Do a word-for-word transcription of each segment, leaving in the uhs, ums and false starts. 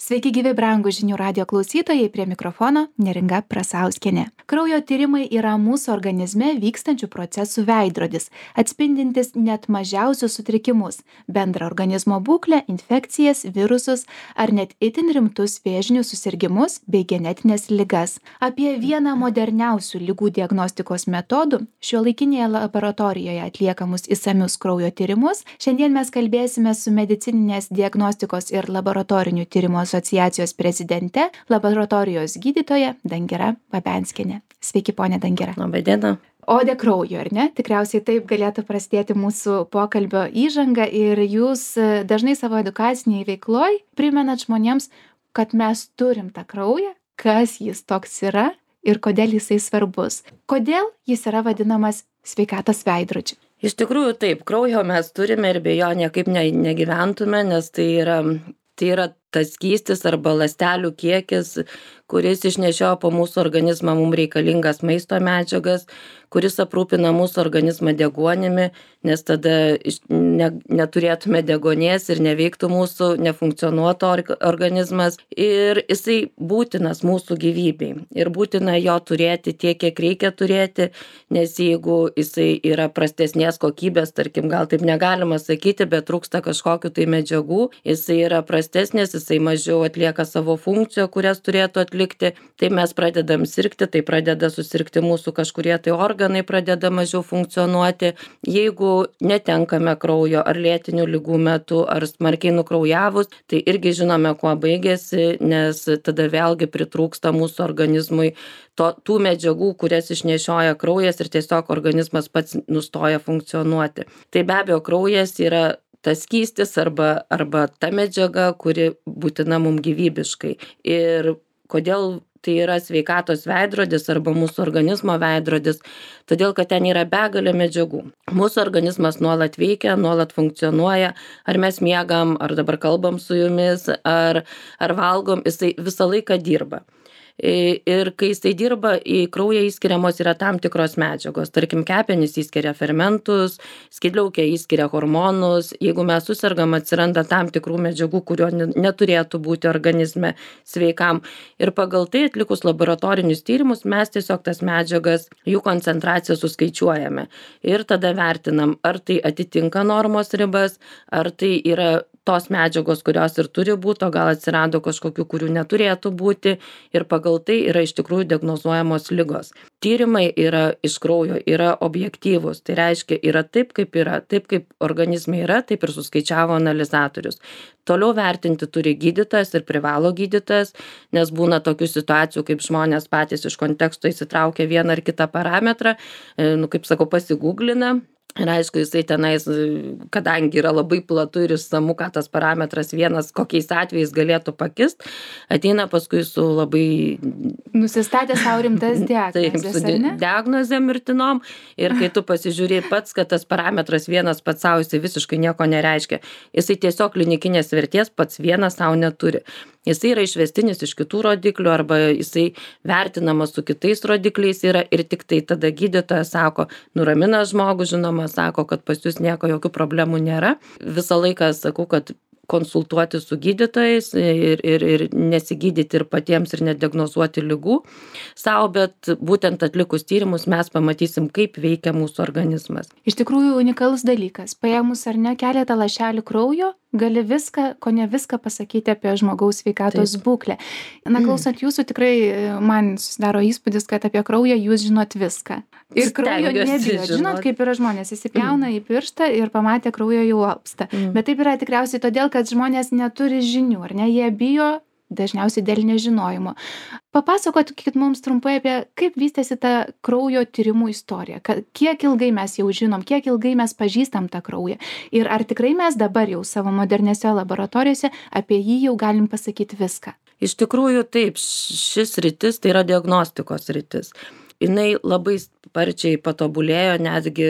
Sveiki gyvi brangūs žinių radijo klausytojai, prie mikrofono Neringa Prasauskienė. Kraujo tyrimai yra mūsų organizme vykstančių procesų veidrodis, atspindintis net mažiausius sutrikimus, bendrą organizmo būklę, infekcijas, virusus ar net itin rimtus vėžinius susirgimus bei genetinės ligas. Apie vieną moderniausių ligų diagnostikos metodų, šiuolaikinėje laboratorijoje atliekamus išsamius kraujo tyrimus, šiandien mes kalbėsime su medicininės diagnostikos ir laboratorinių tyrimų asociacijos prezidente, laboratorijos gydytoja Dangira Babenskienė. Sveiki, ponė Dangira. Labai diena. Odė kraujo, ar ne? Tikriausiai taip galėtų prasidėti mūsų pokalbio įžanga ir jūs dažnai savo edukacinėje veikloje primenat žmonėms, kad mes turim tą kraują, kas jis toks yra ir kodėl jisai svarbus. Kodėl jis yra vadinamas sveikatos veidrodžiu? Iš tikrųjų taip, kraujo mes turime ir be jo niekaip ne, negyventume, nes tai yra, tai yra tas skystis arba ląstelių kiekis, kuris išnešioja po mūsų organizmą mums reikalingas maisto medžiagas, kuris aprūpina mūsų organizmą deguonimi, nes tada ne, neturėtume degonės ir neveiktų mūsų, nefunkcionuotų organizmas. Ir jisai būtinas mūsų gyvybei. Ir būtina jo turėti tiek, kiek reikia turėti, nes jeigu jisai yra prastesnės kokybės, tarkim, gal taip negalima sakyti, bet trūksta kažkokių tai medžiagų, jisai yra prastesnės, jisai mažiau atlieka savo funkciją, kurias turėtų atlikti, tai mes pradedam sirgti, tai pradeda susirgti mūsų kažkurie tai organai, pradeda mažiau funkcionuoti. Jeigu netenkame kraujo ar lėtinių ligų metu, ar smarkiai nukraujavus, tai irgi žinome, kuo baigėsi, nes tada vėlgi pritrūksta mūsų organizmui to, tų medžiagų, kurias išnešioja kraujas ir tiesiog organizmas pats nustoja funkcionuoti. Tai be abejo, kraujas yra tas skystis arba, arba ta medžiaga, kuri būtina mums gyvybiškai. Ir kodėl tai yra sveikatos veidrodis arba mūsų organizmo veidrodis, todėl kad ten yra begalė medžiagų. Mūsų organizmas nuolat veikia, nuolat funkcionuoja, ar mes miegam, ar dabar kalbam su jumis, ar, ar valgom, jisai visą laiką dirba. Ir kai jisai dirba, į kraują įskiriamos yra tam tikros medžiagos. Tarkim, kepenys įskiria fermentus, skydliaukė įskiria hormonus. Jeigu mes susirgam, atsiranda tam tikrų medžiagų, kurio neturėtų būti organizme sveikam. Ir pagal tai atlikus laboratorinius tyrimus, mes tiesiog tas medžiagas, jų koncentraciją suskaičiuojame. Ir tada vertinam, ar tai atitinka normos ribas, ar tai yra tos medžiagos, kurios ir turi būti, o gal atsirado kažkokių, kurių neturėtų būti, ir pagal tai yra iš tikrųjų diagnozuojamos ligos. Tyrimai yra iš kraujo, yra objektyvūs, tai reiškia, yra taip, kaip yra, taip kaip organizme yra, taip ir suskaičiavo analizatorius. Toliau vertinti turi gydytojas ir privalo gydytojas, nes būna tokių situacijų, kaip žmonės patys iš konteksto įsitraukia vieną ar kitą parametrą, nu, kaip sakau, pasigūglina. Ir aišku, jisai tenais, kadangi yra labai platu ir išsamu, ką tas parametras vienas, kokiais atvejais galėtų pakist, ateina paskui su labai... Nusistatė savo rimtas diagnozės, taip, su diagnozėm mirtinom. Ir kai tu pasižiūrė pats, kad tas parametras vienas pats savo, jisai visiškai nieko nereiškia. Jisai tiesiog klinikinės vertės pats vienas savo neturi. Jisai yra išvestinis iš kitų rodiklių arba jisai vertinamas su kitais rodikliais yra ir tik tai tada gydytojas sako, nuramina žmogų, žinoma, sako, kad pas jūs nieko, jokių problemų nėra. Visą laiką sakau, kad konsultuoti su gydytojais ir, ir, ir nesigydyti ir patiems ir nediagnozuoti ligų savo, bet būtent atlikus tyrimus mes pamatysim, kaip veikia mūsų organizmas. Iš tikrųjų unikalus dalykas. Paėmus ar ne keletą lašelių kraujo, gali viską, ko ne viską pasakyti apie žmogaus sveikatos Taip. būklę. Na, klausant jūsų, tikrai man susidaro įspūdis, kad apie kraują jūs žinot viską. Ir kraujo nebijot. Žinot, kaip yra žmonės, įsipjauna į pirštą ir pamatė kraujo jau alpsta. Mm. Bet taip yra tikriausiai todėl, kad žmonės neturi žinių, ar ne? Jie bijo dažniausiai dėl nežinojimo. Papasakokit mums trumpai apie kaip vystėsi ta kraujo tyrimų istorija. Kiek ilgai mes jau žinom, kiek ilgai mes pažįstam tą kraują. Ir ar tikrai mes dabar jau savo modernėse laboratorijose apie jį jau galim pasakyti viską? Iš tikrųjų taip, šis rytis tai yra diagnostikos rytis. Jinai labai sparčiai patobulėjo, netgi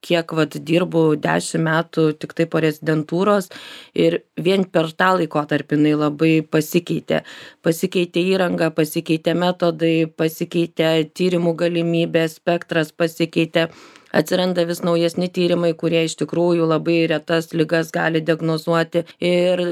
kiek vat dirbu dešimt metų tik tai po rezidentūros ir vien per tą laikotarpį jinai labai pasikeitė. Pasikeitė įranga, pasikeitė metodai, pasikeitė tyrimų galimybė, spektras pasikeitė. atsiranda vis naujesni tyrimai, kurie iš tikrųjų labai retas ligas gali diagnozuoti. Ir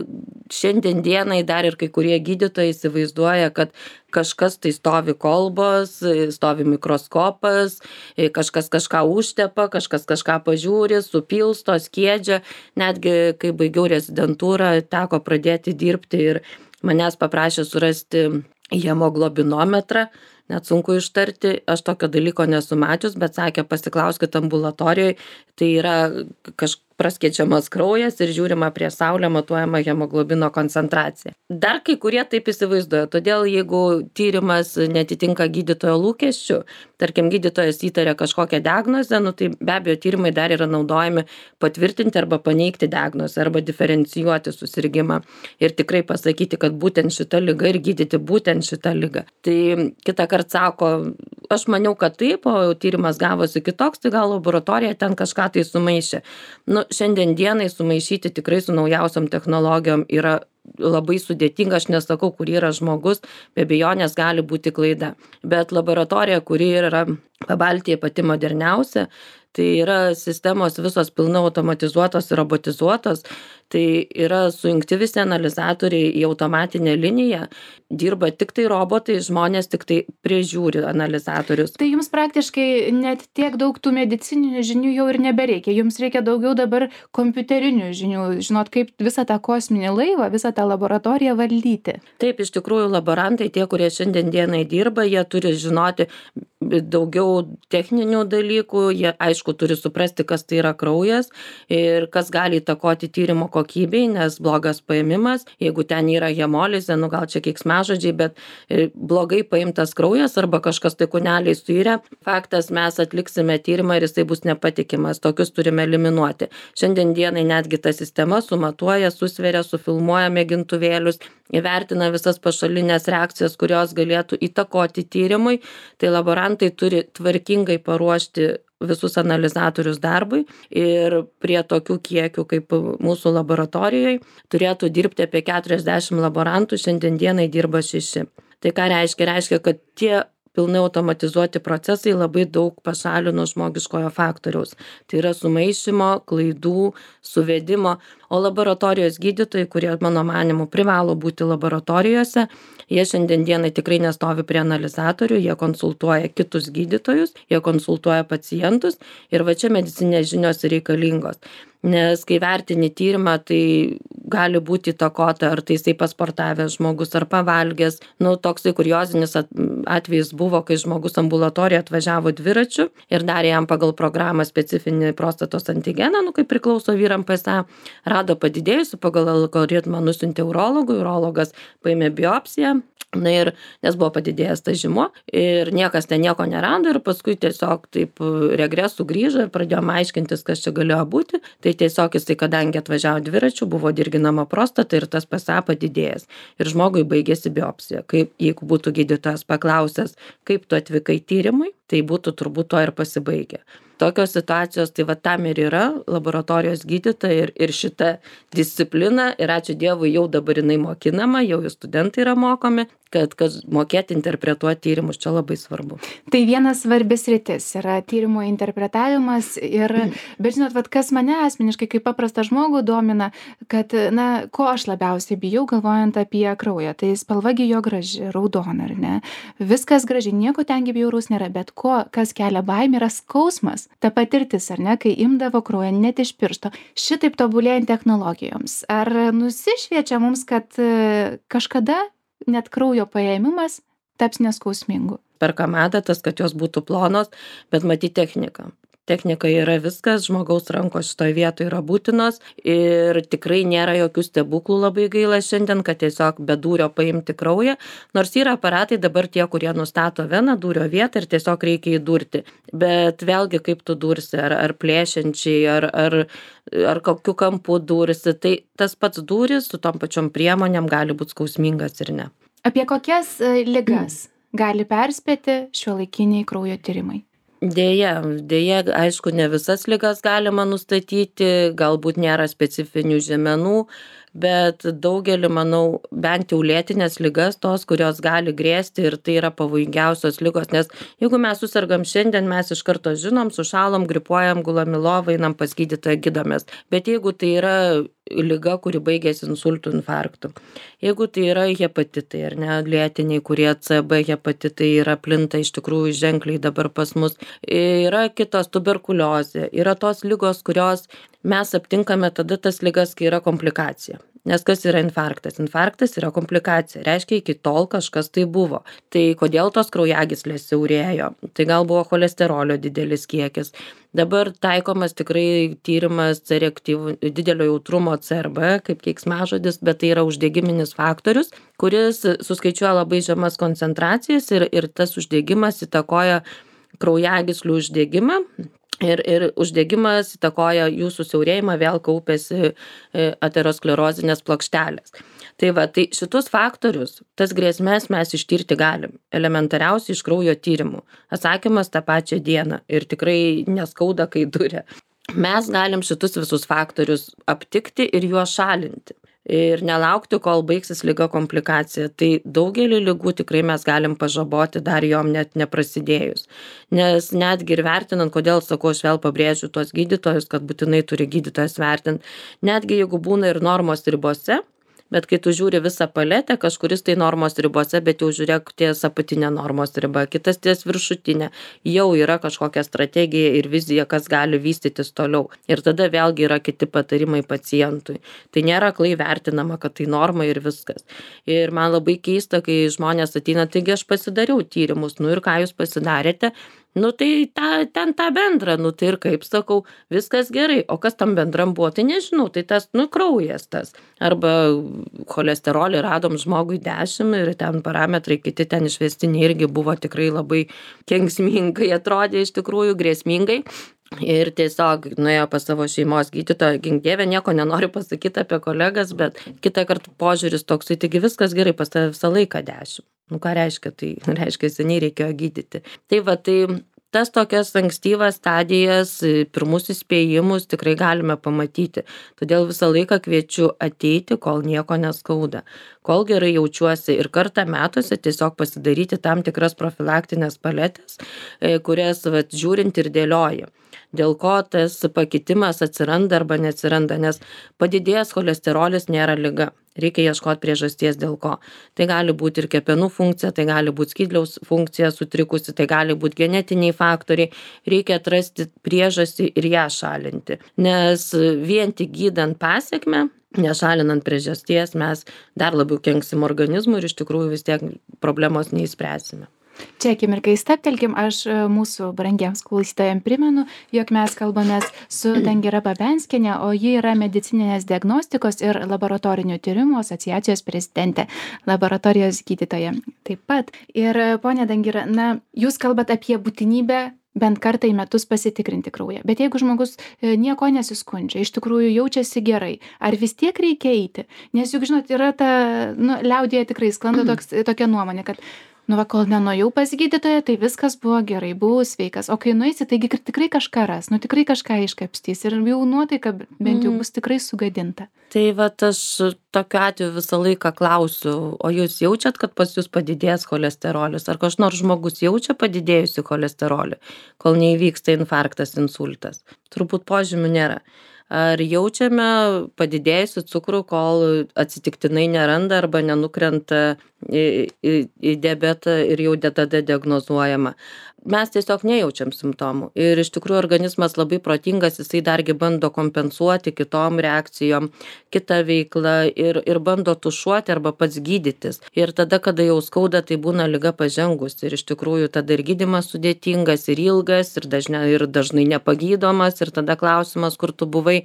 šiandien dienai dar ir kai kurie gydytojai įsivaizduoja, kad kažkas tai stovi kolbos, stovi mikroskopas, kažkas kažką užtepa, kažkas kažką pažiūri, supilsto, skiedžia. Netgi kai baigiau rezidentūrą, teko pradėti dirbti ir manęs paprašė surasti hemoglobinometrą, net sunku ištarti, aš tokio dalyko nesu mačius, bet sakė, pasiklauskit ambulatorijoje, tai yra kažkas praskėčiamas kraujas ir žiūrima prie saulę matuojama hemoglobino koncentracija. Dar kai kurie taip įsivaizduoja, todėl jeigu tyrimas netitinka gydytojo lūkesčių, tarkim gydytojas įtaria kažkokią diagnozę, nu, tai be abejo tyrimai dar yra naudojami patvirtinti arba paneigti diagnozę arba diferencijuoti susirgimą ir tikrai pasakyti, kad būtent šita liga ir gydyti būtent šitą ligą. Tai kitą kartą sako, aš maniau, kad taip, o tyrimas gavosi kitoks, tai gal laboratorija ten kažką tai sumaišė. Nu, šiandien dienai sumaišyti tikrai su naujausiom technologijom yra labai sudėtinga, aš nesakau, kur yra žmogus, be abejonės gali būti klaida. Bet laboratorija, kuri yra Pabaltyje pati moderniausia, tai yra sistemos visos pilnai automatizuotos ir robotizuotos, tai yra sujungti visi analizatoriai į automatinę liniją, dirba tik tai robotai, žmonės tik tai prižiūri analizatorius. Tai jums praktiškai net tiek daug tų medicininių žinių jau ir nebereikia, jums reikia daugiau dabar kompiuterinių žinių, žinot, kaip visą tą kosminį laivą, visą tą laboratoriją valdyti. Taip, iš tikrųjų laborantai, tie, kurie šiandien dienai dirba, jie turi žinoti daugiau techninių dalykų, jie aišku turi suprasti, kas tai yra kraujas ir kas gali įtakoti tyrimo kokybei, nes blogas paėmimas, jeigu ten yra hemolizė, nu gal čia keiksmažodžiai, bet blogai paimtas kraujas arba kažkas tai kūneliai suirė, faktas mes atliksime tyrimą ir jisai bus nepatikimas, tokius turime eliminuoti. Šiandien dienai netgi ta sistema sumatuoja, susveria, sufilmuoja mėgintuvėlius, įvertina visas pašalinės reakcijas, kurios galėtų įtakoti tyrimui, tai laborantai turi tvarkingai paruošti visus analizatorius darbui ir prie tokių kiekių kaip mūsų laboratorijoje turėtų dirbti apie keturiasdešimt laborantų, šiandien dienai dirba šeši. Tai ką reiškia? Reiškia, kad tie pilnai automatizuoti procesai labai daug pašalino žmogiškojo faktoriaus. Tai yra sumaišymo, klaidų, suvedimo, o laboratorijos gydytojai, kurie mano manimu privalo būti laboratorijose, jie šiandien dienai tikrai nestovi prie analizatorių, jie konsultuoja kitus gydytojus, jie konsultuoja pacientus ir va čia medicinės žinios reikalingos. Nes kai vertini tyrimą, tai gali būti įtakota, ar tai jisai pasportavęs žmogus, ar pavalgęs. Nu, toksai kuriozinis atvejis buvo, kai žmogus ambulatorijoje atvažiavo dviračiu ir darė jam pagal programą specifinį prostatos antigeną, nu, kaip priklauso vyram P S A, rado padidėjusių, pagal algoritmą nusiuntė urologui, urologas paėmė biopsiją. Na ir nes buvo padidėjęs tas žymuo ir niekas ten nieko nerado ir paskui tiesiog taip regresų grįžo ir pradėjom aiškintis, kas čia galėjo būti. Tai tiesiog jisai, kadangi atvažiavo dviračiu, buvo dirginama prostata ir tas P S A padidėjęs. Ir žmogui baigėsi biopsija. Kaip, jeigu būtų gydytojas paklausęs, kaip tu atvykai tyrimui, tai būtų turbūt to ir pasibaigę. Tokios situacijos, tai va tam ir yra laboratorijos gydytojai ir, ir šita disciplina ir ačiū Dievui jau dabar jinai mokinama, jau studentai yra mokomi, kad, kad mokėti interpretuoti tyrimus čia labai svarbu. Tai vienas svarbis sritis yra tyrimo interpretavimas ir, bet žinot, vat, kas mane asmeniškai kaip paprastą žmogų domina, kad, na, ko aš labiausiai bijau galvojant apie kraują, tai spalvagi jo graži, raudona, ar ne? Viskas graži, nieko tengi bjauraus nėra, bet ko, kas kelia baimę, yra skausmas. Ta patirtis, ar ne, kai imdavo kraują net iš piršto. Šitaip tobulėjant technologijoms. Ar nusišviečia mums, kad kažkada net kraujo paėmimas taps neskausmingu? Perkam adatas, kad jos būtų plonos, bet matyti techniką. Technika yra viskas, žmogaus rankos šitoje vietoje yra būtinos ir tikrai nėra jokių stebuklų, labai gaila šiandien, kad tiesiog be dūrio paimti kraują, nors yra aparatai dabar tie, kurie nustato veną dūrio vietą ir tiesiog reikia įdurti. Bet vėlgi kaip tu dursi, ar, ar plėšiančiai, ar, ar, ar kokiu kampu dursi, tai tas pats dūris su tom pačiom priemonėm gali būti skausmingas ir ne. Apie kokias ligas gali perspėti šiuolaikiniai kraujo tyrimai? Deja, deja, aišku, ne visas ligas galima nustatyti, galbūt nėra specifinių žymenų, bet daugelį, manau, bent jau lėtinės ligas, tos, kurios gali grėsti ir tai yra pavojingiausios ligos, nes jeigu mes susirgam šiandien, mes iš karto žinom, sušalom, gripuojam, gulam į lovą, einam pas gydytoją, gydomės. Bet jeigu tai yra liga, kuri baigėsi insultų, infarktų, jeigu tai yra hepatitai ar ne, lėtiniai, kurie C B hepatitai yra plinta iš tikrųjų ženkliai dabar pas mus, yra kitos tuberkuliozė, yra tos ligos, kurios mes aptinkame tada tas ligas, kai yra komplikacija. Nes kas yra infarktas? Infarktas yra komplikacija. Reiškia, iki tol kažkas tai buvo. Tai kodėl tos kraujagyslės siaurėjo? Tai gal buvo cholesterolio didelis kiekis. Dabar taikomas tikrai tyrimas C reaktyvų, didelio jautrumo C R B, kaip keiksmažodis, bet tai yra uždegiminis faktorius, kuris suskaičiuoja labai žemas koncentracijas ir, ir tas uždegimas įtakoja kraujagyslių uždegimą. Ir, ir uždegimas įtakoja jų susiaurėjimą, vėl kaupėsi aterosklerozinės plokštelės. Tai va, tai šitus faktorius, tas grėsmės mes ištirti galim, elementariausiai iš kraujo tyrimų. Atsakymas tą pačią dieną ir tikrai neskauda, kai duria. Mes galim šitus visus faktorius aptikti ir juos šalinti. Ir nelaukti, kol baigsis liga komplikacija. Tai daugelį ligų tikrai mes galim pažaboti dar jom net neprasidėjus. Nes netgi ir vertinant, kodėl sakau, aš vėl pabrėžiu tuos gydytojus, kad būtinai turi gydytojas vertinti, netgi jeigu būna ir normos ribose, bet kai tu žiūri visą paletę, kažkuris tai normos ribose, bet jau žiūrėk ties apatinė normos riba, kitas ties viršutinė, jau yra kažkokia strategija ir vizija, kas gali vystytis toliau. Ir tada vėlgi yra kiti patarimai pacientui. Tai nėra aklai vertinama, kad tai norma ir viskas. Ir man labai keista, kai žmonės ateina, taigi aš pasidariau tyrimus, nu ir ką jūs pasidarėte? Nu tai ta, ten tą bendrą, nu tai ir kaip sakau, viskas gerai, o kas tam bendram buvo, tai nežinau, tai tas, nu kraujas tas. Arba cholesterolį radom žmogui dešimt ir ten parametrai kiti ten išvestiniai irgi buvo tikrai labai kenksmingai, atrodė iš tikrųjų grėsmingai. Ir tiesiog nuėjo pas savo šeimos gydytoją, gink dieve, nieko nenoriu pasakyti apie kolegas, bet kitą kartą požiūris toksai, taigi viskas gerai, pas tave visą laiką dešimt. Nu ką reiškia, tai reiškia, seniai reikėjo gydyti. Tai va, tai tas tokias ankstyvas stadijas, pirmus įspėjimus tikrai galime pamatyti. Todėl visą laiką kviečiu ateiti, kol nieko neskauda, kol gerai jaučiuosi ir kartą metuose tiesiog pasidaryti tam tikras profilaktinės paletės, kurias vat, žiūrint ir dėlioji. Dėl ko tas pakitimas atsiranda arba neatsiranda, nes padidėjęs cholesterolis nėra liga. Reikia ieškoti priežasties dėl ko. Tai gali būti ir kepenų funkcija, tai gali būti skydliaus funkcija sutrikusi, tai gali būti genetiniai faktoriai. Reikia atrasti priežastį ir ją šalinti. Nes vien tik gydant pasekmę, nešalinant priežasties, mes dar labiau kenksim organizmui ir iš tikrųjų vis tiek problemos neįspręsime. Čia akimirkai stabtelkim, aš mūsų brangiems klausytojams primenu, jog mes kalbamės su Dangira Babenskienė, o ji yra medicininės diagnostikos ir laboratorinių tyrimų asociacijos prezidentė, laboratorijos gydytoja taip pat. Ir ponia Dangira, na, jūs kalbat apie būtinybę bent kartą į metus pasitikrinti kraują. Bet jeigu žmogus nieko nesiskundžia, iš tikrųjų jaučiasi gerai, ar vis tiek reikia eiti? Nes juk, žinot, yra ta, nu, liaudyje tikrai sklando toks, tokia nuomonė, kad nu va, kol nenuėjau pas gydytoją, tai viskas buvo gerai, buvau sveikas. O kai nueisi, taigi tikrai kažką ras, nu tikrai kažką iškapstys ir jau nuotaika bent jau bus tikrai sugadinta. Tai va, aš tokiu atveju visą laiką klausiu, o jūs jaučiat, kad pas jūs padidės cholesterolis? Ar kažkas nors žmogus jaučia padidėjusi cholesterolį, kol neįvyksta infarktas, insultas? Turbūt požymių nėra. Ar jaučiame padidėjusių cukrų, kol atsitiktinai neranda arba nenukrenta į, į, į diabetą ir jau tada diagnozuojama. Mes tiesiog nejaučiam simptomų. Ir iš tikrųjų organizmas labai protingas, jisai dargi bando kompensuoti kitom reakcijom, kitą veiklą ir, ir bando tušuoti arba pats gydytis. Ir tada, kada jau skauda, tai būna liga pažengus. Ir iš tikrųjų tada ir gydymas sudėtingas, ir ilgas, ir dažnai, ir dažnai nepagydomas. Ir tada klausimas, kur tu buvai.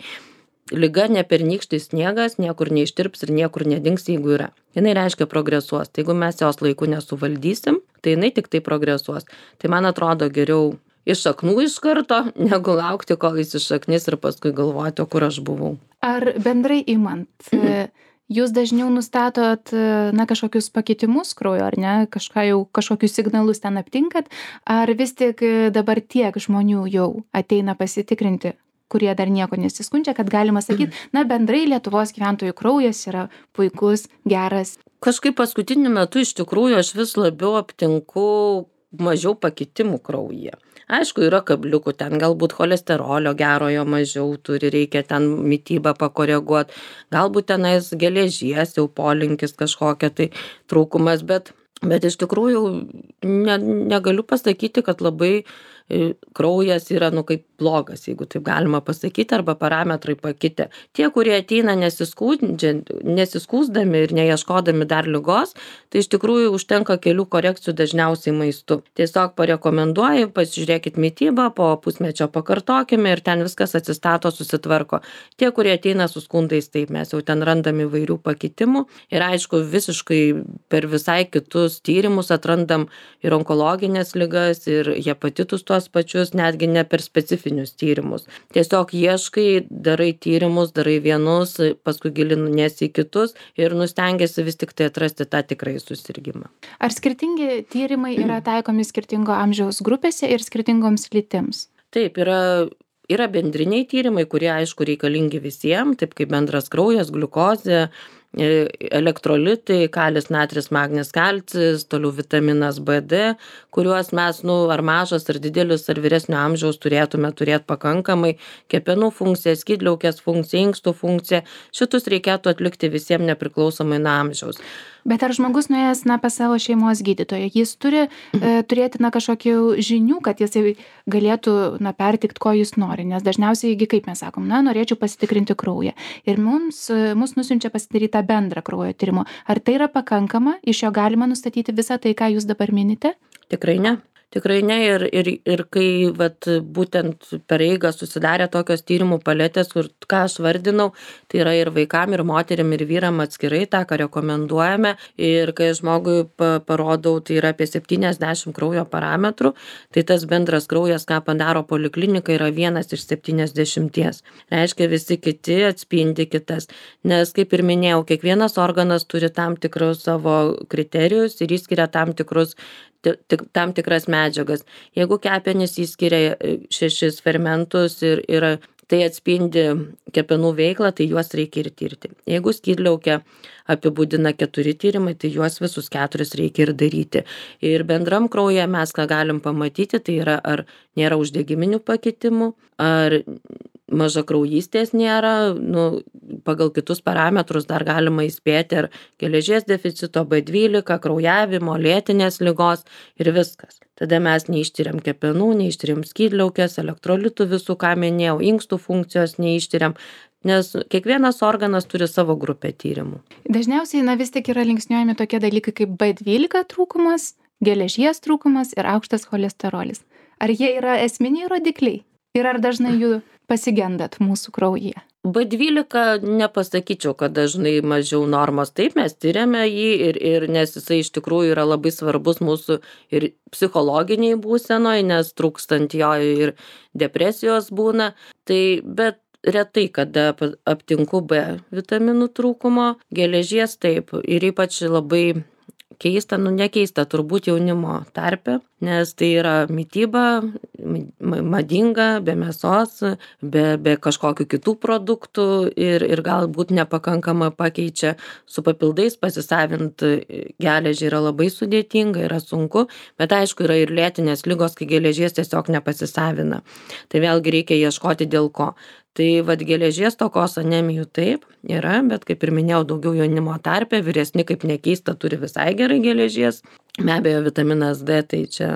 Liga ne pernykštis sniegas, niekur neištirps ir niekur nedings, jeigu yra. Jinai reiškia progresuos. Tai jeigu mes jos laiku nesuvaldysim, tai jinai tik tai progresuos. Tai man atrodo geriau iš šaknų iš karto, negu laukti, kol jis iššaknis ir paskui galvoti, o kur aš buvau. Ar bendrai imant, jūs dažniau nustatot na, kažkokius pakitimus kraujo, ar ne, kažką jau, kažkokius signalus ten aptinkat, ar vis tik dabar tiek žmonių jau ateina pasitikrinti kurie dar nieko nesiskundžia, kad galima sakyti, na bendrai Lietuvos gyventojų kraujas yra puikus, geras. Kažkaip paskutiniu metu iš tikrųjų aš vis labiau aptinku mažiau pakitimų kraujyje. Aišku, yra kabliukų, ten galbūt cholesterolio gerojo mažiau turi, reikia ten mitybą pakoreguoti, galbūt tenais geležies jau polinkis kažkokia tai trūkumas, bet, bet iš tikrųjų ne, negaliu pasakyti, kad labai kraujas yra, nu, kaip blogas, jeigu taip galima pasakyti, arba parametrai pakitę. Tie, kurie ateina nesiskūsdami ir neieškodami dar ligos, tai iš tikrųjų užtenka kelių korekcijų dažniausiai maistu. Tiesiog parekomenduoju, pasižiūrėkit mitybą, po pusmečio pakartokime ir ten viskas atsistato, susitvarko. Tie, kurie ateina su skundais, taip mes jau ten randam įvairių pakitimų ir aišku, visiškai per visai kitus tyrimus atrandam ir onkologinės ligas, ir hepatitus tuos pačius, netgi ne per specifinius tyrimus. Tiesiog ieškai, darai tyrimus, darai vienus, paskui giliniesi į kitus ir nustengiasi vis tik tai atrasti tą tikrai susirgymą. Ar skirtingi tyrimai yra taikomi skirtingo amžiaus grupėse ir skirtingoms lytims? Taip, yra, yra bendriniai tyrimai, kurie aišku reikalingi visiems, taip kaip bendras kraujas, gliukozė, elektrolitai, kalis, natris, magnis, kalcis, toliau vitaminas B D, kuriuos mes, nu, ar mažas, ar didelis, ar vyresnio amžiaus turėtume turėti pakankamai, kepenų funkcija, skydliaukės funkcija, inkstų funkcija, šitus reikėtų atlikti visiems nepriklausomai nuo amžiaus. Bet ar žmogus nuėjęs, na, pas savo šeimos gydytoją, jis turi e, turėti, na, kažkokių žinių, kad jisai galėtų, na, pertikti, ko jis nori, nes dažniausiai, kaip mes sakom, na, norėčiau pasitikrinti kraują. Ir mums, mus nusiunčia pasidaryti tą bendrą kraujo tyrimo. Ar tai yra pakankama, iš jo galima nustatyti visą tai, ką jūs dabar minite? Tikrai ne. Tikrai ne ir, ir, ir kai vat, būtent per eigą susidarė tokios tyrimų paletės, kur ką aš vardinau, tai yra ir vaikam, ir moterim, ir vyram atskirai, tą, ką rekomenduojame. Ir kai žmogui parodau, tai yra apie septyniasdešimt kraujo parametrų, tai tas bendras kraujas, ką padaro poliklinika, yra vienas iš septyniasdešimties. Reiškia, visi kiti atspindi kitas. Nes, kaip ir minėjau, kiekvienas organas turi tam tikrus savo kriterijus ir įskiria tam tikrus tam tikras medžiagas. Jeigu kepenys įskiria šešis fermentus ir, ir tai atspindi kepenų veiklą, tai juos reikia ir tirti. Jeigu skydliaukę apibūdina keturi tyrimai, tai juos visus keturis reikia ir daryti. Ir bendram kraujyje mes ką galim pamatyti, tai yra ar nėra uždegiminių pakitimų, ar mažakraujystės nėra, nu, pagal kitus parametrus dar galima įspėti ar geležies deficito, B dvylika, kraujavimo, lėtinės ligos ir viskas. Tada mes neištiriam kepenų, neištiriam skydliaukės, elektrolitų visų, ką minėjau, inkstų funkcijos neištiriam, nes kiekvienas organas turi savo grupę tyrimų. Dažniausiai, na, vis tik yra linksniuojami tokie dalykai kaip B dvylika trūkumas, geležies trūkumas ir aukštas cholesterolis. Ar jie yra esminiai rodikliai? Ir ar dažnai jų pasigendat mūsų kraujyje? B dvylika nepasakyčiau, kad dažnai mažiau normos. Taip, mes tyriame jį ir, ir nes jisai iš tikrųjų yra labai svarbus mūsų ir psichologiniai būsenoj, nes trūkstant jo ir depresijos būna. Tai, bet retai, kada aptinku B vitaminų trūkumo, geležies taip ir ypač labai keista, nu nekeista turbūt jaunimo tarpe, nes tai yra mityba, madinga, be mėsos, be, be kažkokių kitų produktų ir, ir galbūt nepakankamai pakeičia su papildais pasisavinti geležį yra labai sudėtinga, yra sunku, bet aišku yra ir lėtinės ligos, kai geležies tiesiog nepasisavina. Tai vėlgi reikia ieškoti dėl ko. Tai vad geležies stokos anemijų taip yra, bet kaip ir minėjau, daugiau jaunimo tarpe, vyresni kaip nekeista turi visai gerai geležies. Be abejo, vitaminas D, tai čia,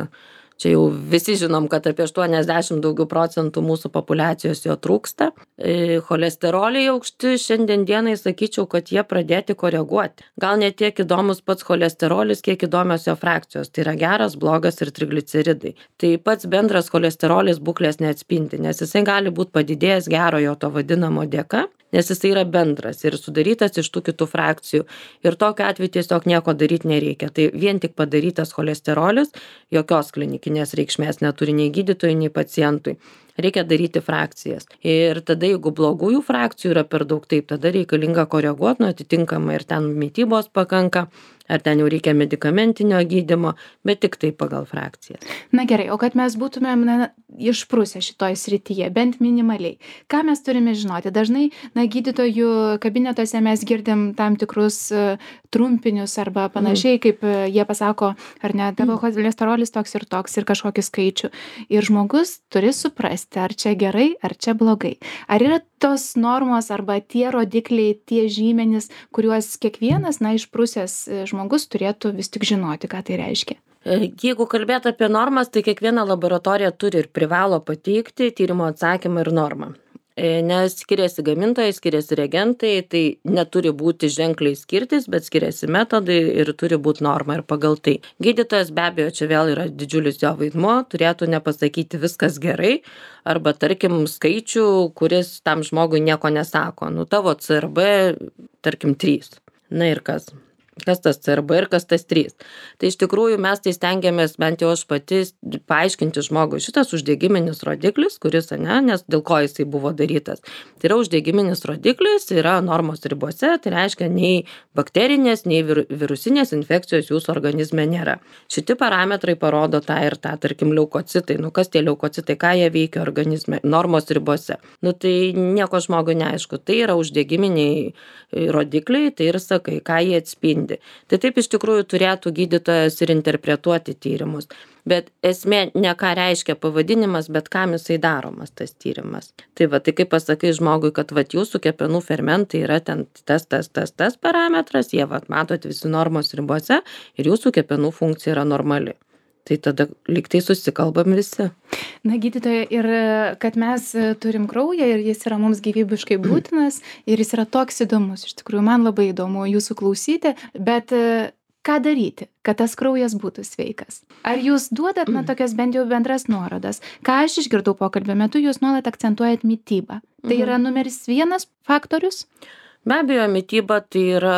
čia jau visi žinom, kad apie aštuoniasdešimt daugiau procentų mūsų populiacijos jo trūksta. E, cholesteroliai aukšti šiandien dienai sakyčiau, kad jie pradėti koreguoti. Gal ne tiek įdomus pats cholesterolis, kiek įdomios jo frakcijos. Tai yra geras, blogas ir trigliceridai. Tai pats bendras cholesterolis būklės neatspindi, nes jisai gali būti padidėjęs gerojo to vadinamo dėka, nes jisai yra bendras ir sudarytas iš tų kitų frakcijų. Ir tokiu atveju tiesiog nieko daryti nereikia. Tai vien tik padarytas cholesterolis jokios klinikinės reikšmės neturi nei gydytojui, nei pacientui. Reikia daryti frakcijas. Ir tada, jeigu blogųjų frakcijų yra per daug, taip, tada reikalinga koreguoti, nu, atitinkamai ir ten mitybos pakanka. ar ten jau reikia medikamentinio gydymo, bet tik tai pagal frakcijas. Na gerai, o kad mes būtumėm na, išprusę šitoj srityje, bent minimaliai, ką mes turime žinoti? Dažnai na, gydytojų kabinetuose mes girdim tam tikrus uh, trumpinius arba panašiai, mm. kaip uh, jie pasako, ar ne, tavo cholesterolis toks ir toks ir kažkokį skaičių. Ir žmogus turi suprasti, ar čia gerai, ar čia blogai. Ar yra tos normos arba tie rodikliai, tie žymenys, kuriuos kiekvienas, na, išprusęs žmogus turėtų vis tik žinoti, ką tai reiškia? Jeigu kalbėt apie normas, tai kiekviena laboratorija turi ir privalo pateikti tyrimo atsakymą ir normą. Nes skiriasi gamintojai, skiriasi reagentai, tai neturi būti ženkliai skirtis, bet skiriasi metodai ir turi būti norma ir pagal tai. Gydytojas be abejo, čia vėl yra didžiulis jo vaidmuo, turėtų nepasakyti viskas gerai, arba tarkim skaičių, kuris tam žmogui nieko nesako. Nu tavo C R B, tarkim trys. Na ir kas? Kas tas C R B ir kas tas trys. Tai iš tikrųjų mes tai stengiamės, bent jau aš pati, paaiškinti žmogui šitas uždegiminis rodiklis, kuris, ne, nes dėl ko jisai buvo darytas. Tai yra uždegiminis rodiklis, yra normos ribose, tai reiškia nei bakterinės, nei vir, virusinės infekcijos jūsų organizme nėra. Šiti parametrai parodo tą ir tą, tarkim, leukocitai. Nu kas tie leukocitai, ką jie veikia organizme, normos ribose. Nu tai nieko žmogui neaišku. Tai yra uždegiminiai rodikliai, tai ir sakai, ką jie atspindi. Tai taip iš tikrųjų turėtų gydytojas ir interpretuoti tyrimus. Bet esmė ne ką reiškia pavadinimas, bet kam jisai daromas tas tyrimas. Tai va, tai kaip pasakai žmogui, kad va, jūsų kepenų fermentai yra ten tas, tas, tas, tas parametras, jie va, matot visi normos ribose ir jūsų kepenų funkcija yra normali. Tai tada lygtai susikalbam visi. Na, gydytoja, ir kad mes turim kraują ir jis yra mums gyvybiškai būtinas ir jis yra toks įdomus. Iš tikrųjų, man labai įdomu jūsų klausyti, bet ką daryti, kad tas kraujas būtų sveikas? Ar jūs duodat, na, tokias bent jau bendras nuorodas? Ką aš išgirdau pokalbio metu, jūs nuolat akcentuojat mitybą. Tai yra numeris vienas faktorius? Be abejo, mityba tai yra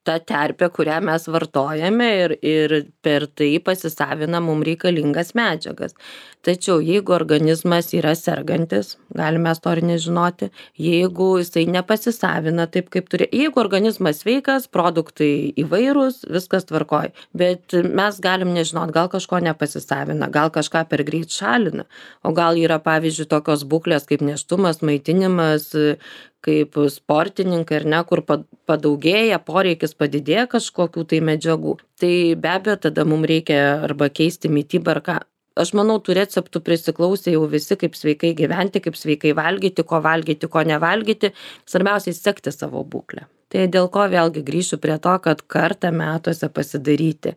ta terpė, kurią mes vartojame ir, ir per tai pasisavina mums reikalingas medžiagas. Tačiau jeigu organizmas yra sergantis, galime mes to ir nežinoti, jeigu jisai nepasisavina taip, kaip turi, jeigu organizmas sveikas, produktai įvairūs, viskas tvarkoj, bet mes galim nežinot, gal kažko nepasisavina, gal kažką per greit šalina, o gal yra, pavyzdžiui, tokios būklės kaip nėštumas, maitinimas, kaip sportininkai, ar ne, kur padaugėja, poreikis padidėja kažkokių tai medžiagų. Tai be abejo, tada mums reikia arba keisti mitybą ar ką. Aš manau, tų receptų prisiklausė jau visi, kaip sveikai gyventi, kaip sveikai valgyti, ko valgyti, ko nevalgyti. Svarbiausiai sekti savo būklę. Tai dėl ko vėlgi grįšiu prie to, kad kartą metuose pasidaryti.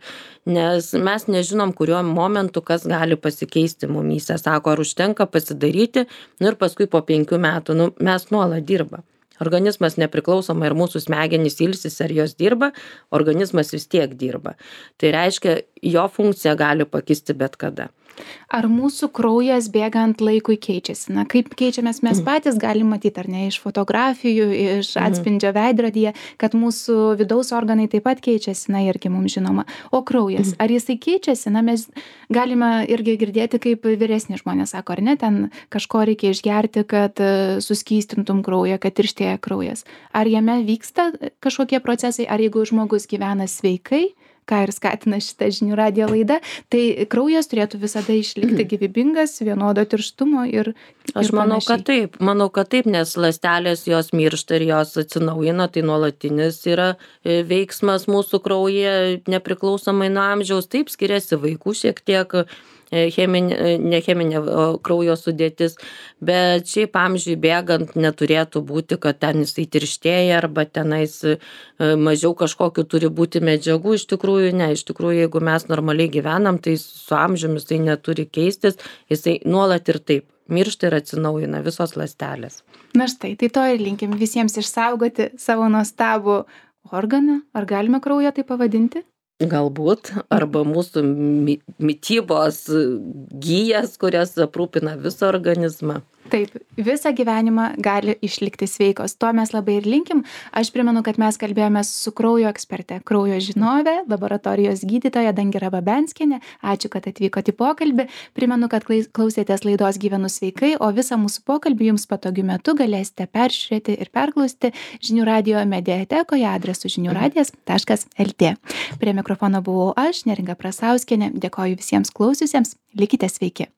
Nes mes nežinom, kuriuo momentu kas gali pasikeisti mumyse. Sako, ar užtenka pasidaryti, nu ir paskui po penkių metų, nu, mes nuolat dirba. Organizmas nepriklausomai ir mūsų smegenys ilsis, ar jos dirba, organizmas vis tiek dirba. Tai reiškia, jo funkcija gali pakisti bet kada. Ar mūsų kraujas bėgant laikui keičiasi? Na, kaip keičiamės mes patys galim matyti, ar ne, iš fotografijų, iš atspindžio veidrodyje, kad mūsų vidaus organai taip pat keičiasi, na, irgi mums žinoma. O kraujas, ar jisai keičiasi? Na, mes galime irgi girdėti, kaip vyresni žmonės sako, ar ne, ten kažko reikia išgerti, kad suskystintum kraują, kad tirštėja kraujas. Ar jame vyksta kažkokie procesai, ar jeigu žmogus gyvena sveikai, ką ir skatina šitą žinių radijo laidą, tai kraujas turėtų visada išlikti gyvybingas, vienodo tirštumo ir, ir Aš manau, panašiai. kad taip, manau, kad taip, nes ląstelės jos miršta ir jos atsinaujina, tai nuolatinis yra veiksmas mūsų kraujyje nepriklausomai nuo amžiaus, taip skiriasi vaikų šiek tiek, cheminė, ne cheminė kraujo sudėtis, bet šiaip amžiui bėgant neturėtų būti, kad ten jisai tirštėja arba tenais mažiau kažkokiu turi būti medžiagų. Iš tikrųjų, ne, iš tikrųjų, jeigu mes normaliai gyvenam, tai su amžiumi jisai neturi keistis, jisai nuolat ir taip miršta ir atsinaujina visos ląstelės. Na štai, tai to ir linkim visiems išsaugoti savo nuostabų organą. Ar galime kraują tai pavadinti? Galbūt, arba mūsų mitybos gijas, kurias aprūpina visą organizmą. Taip, visą gyvenimą gali išlikti sveikos. To mes labai ir linkim. Aš primenu, kad mes kalbėjome su kraujo eksperte, kraujo žinovė, laboratorijos gydytoja Dangira Babenskienė. Ačiū, kad atvykote į pokalbį. Primenu, kad klausėtės laidos Gyvenu sveikai, o visą mūsų pokalbį jums patogiu metu galėsite peržiūrėti ir perklausti Žinių radijo mediatekoje adresu žinių radijas taškas lt. Prie mikrofono buvau aš, Neringa Prasauskienė. Dėkoju visiems klausiusiems. Likite sveiki.